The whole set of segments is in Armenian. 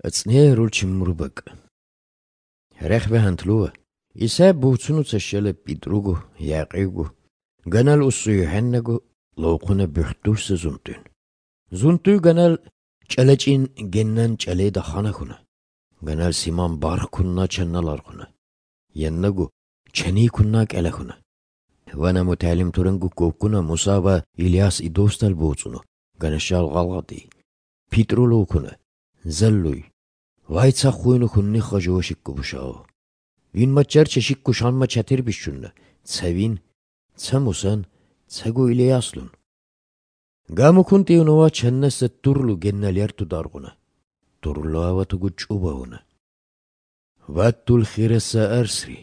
Ըծնի ռուլչիմուրբակ։ Հրեխվե հանտլուը, իսե բուծունուց շելը պիտրուգու, յակիգու, գանալ ուսույ հեննագու, լոկունը բյուրտուրսը զունտուն։ Զունտու գանալ ճալեճին գեննան ճալեդա խանախունը, գանալ սիման բարխուննա չննալ արխունը, յեննագու չնի քուննա կելախունը։ Վանա մութալիմ թուրնգու կոկունը մուսավա Իլիաս իդոստալ բուծունու, գանաշալ գալղատի, պիտրուլոկունը, զալլույ, վայցա խույնու խուննի խաժուոշիկ կուբշաո։ Վին մաճարչը շիկ կուշանմա չաթիր բիշչունը, ցավին, ցամուսան, ցագու Իլիասլուն։ Գամուքուն տիունովա չննեսը տուրլու գեննալյարտու դարգունը, տուրլու ավատուգու ճուբաունը։ Վատտուլ խիրեսը արսրի,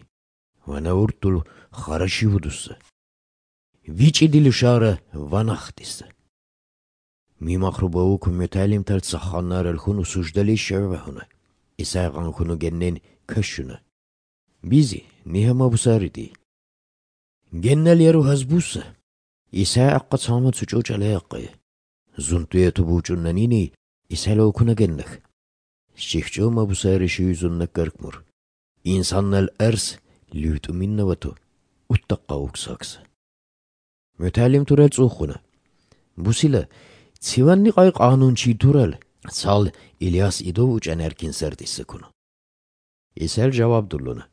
վանաուրտուլ խարաշի վուդուսը, վիճի դիլուշարը վանախտիսը։ Մի մախրուբաու կումյութալիմ թալ ծախանար ալխուն ու սուժդալի շարվահունը, իսայղան խունու գեննեն քշունը։ Բիզի, նիհամաբուսարիդի։ Գեննալ երու հազբուսը, իսայ աղկաց համը ծուճոճ ալե աղկայը, զունտույը տուբուճուննանինի, իսայ լոքունը գեննախ։ Շիխճո մաբուսարի շույզուննը կրկմուր, ինսաննալ արս լյութումին նվատու, ուտտակա ուքսակսը։ Մյութալիմ թուրել ծուխունը, բուսիլը, Ցիվաննի ყայ ყանուն չի թուրել, ցալ Իլիաս իդով ու ճաներքին սերտիսը քունը։ Իսել ժավաբ դուլունը։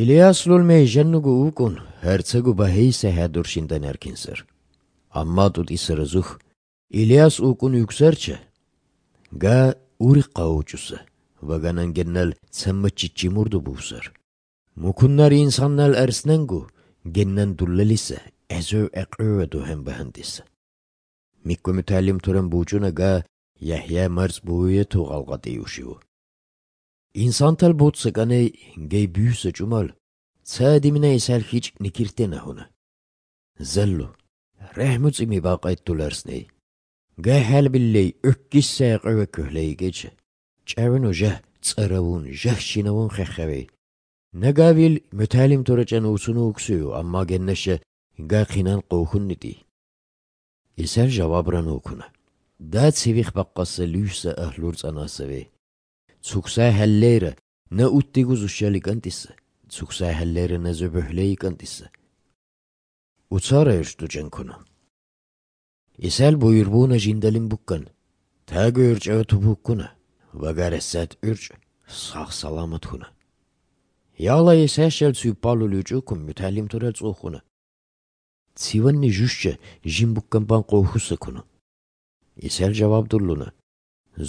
Իլիաս լուլ մեյ ժեննուգու ուկուն, հերցեգու բահեիսը հադուրշին տաներքին սեր։ Ամմա տուտ իսերը զուխ, Իլիաս ուկուն յուքսերչը, գա ուրի ყաուճուսը, վագանան գեննալ ցամմաչիչի մուրդու բուսեր։ Մուքուննարի ինսաննալ արսնանգու, գեննան դուլլելիսը, էզո էqröve դուհեմ բահանդիսը։ Միկկոմյութալիմ թուրեն բուճունը գա Յահյա մարց բույը թուղալղատի ուշիու։ Ինսանտալ բոցը կանե գեյ բյուսը ճումալ, ցադիմինա իսալ խիչ նիկիրտենը հունը։ Զալլու, ռեհմուց իմի բաղայտ դուլարսնեի։ Գա հալբիլլեի ըկկիսը էqröve կհլեի գեչը, ճավնու ժահ ծարավուն, ժահ շինավուն խեխավեի։ Նագավիլ մյութալիմ թուրեճան ուսունու ուքսույու, ամմա գեննաշը գա խինան կողուն նիտի։ Իսել ժավաբրան ուքունը։ Դա ցիվիխ բաղկասը լույսը ահլուրց անասավի։ Ցուքսայ հալլերը նա ուտտիգուզ ուշյալի կանտիսը, ցուքսայ հալլերը նա զոբհլեի կանտիսը։ Ուցարը էրշտու ճենքունը։ Իսել բույրբունը ժինդալին բուկկան, թագու ուրճը թուբուկկունը, վագարեսատ ուրճ, սաղ սալամատ խունը։ Յալա իսեշել ցույպալու լյուճուկում մյութալիմ թուրել ծուխունը։ Ցիվաննի ժուշը ժիմբուկկան բան կողուսը քունը։ Իսել ժավաբ դուլունը,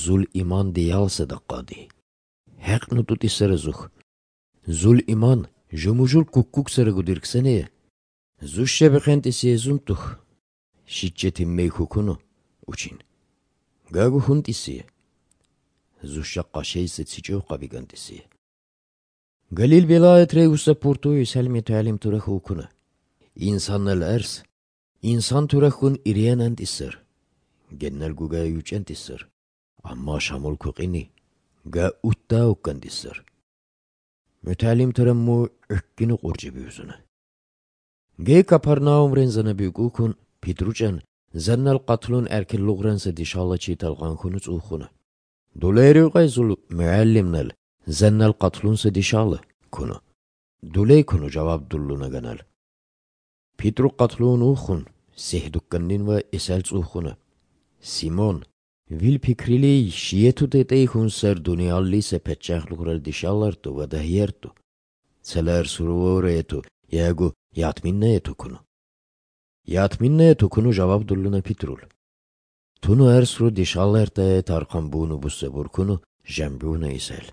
զուլ իման դիալսը դaqadi։ Հեղնու տուտի սրզուխ, զուլ իման ժմուժուլ կուկուկ սրգու դիրքսենեը, զուշը բխենտիսի եզունտուխ, շիճեթի մեյքուքունու, ուչին, գագու խունտիսիը, զուշա qաշեյսը ցիճով qավիգանտիսիը։ Գալիլ վելայետ ռեյուսը պորտու իսել մյութալիմ թուրախ ուքունը, ինսաննալ արս, ինսան թուրախուն իրիան անտիսր, գեննալ գուգա յուճ անտիսր, ամմա շամուլ կուղինի, գա ուտտա ուկանտիսր։ Մյութալիմ թուրամու ըկկինու ყուրջի բյուզունը։ Գեյ կապարնաում ռենզանը բյուկուքուն, պիտրուճան, զաննալ qatլուն արկել լուղրանսը դիշալը չիտալղանքունուց ուխունը։ Դուլեյրու qayզուլ մյալիմնալ, զաննալ qatլունսը դիշալը, քունը։ Դուլեյ քունու ժավաբ դուլլունը գանալ։ Պիտրու qatլուն ուխուն, սեհդուկկաննին վա իսալ ծուխունը։ Սիմոն, վիլ պիկրիլի շիետու տետեի խուն սեր դունիալլիսը պետճախ լուղրել դիշալարտու վադահերտու, ցելար սուրուոր էտու, յագու յատմիննը էտու քունու։ Յատմիննը էտու քունու ժավաբ դուլլունը պիտրուլ։ Թունու արսրու դիշալարտը էտ արխամբունու բուսեբուր քունու ժամբյունը իսել։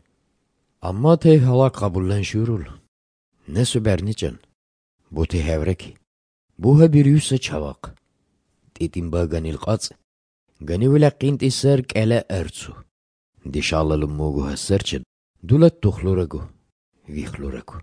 Ամմա թե հալակ qabullan շուրուլ։ Նեսու բերնիճան, բութի հևրեքի, բուհը բիրյուսը չավակ, տիտիմբա գանիլ qած, գանիվիլա qինտիսեր կելը արցու, դիշալալու մոգու հասերչը, դուլատ տուխլուրագու, վիխլուրագու։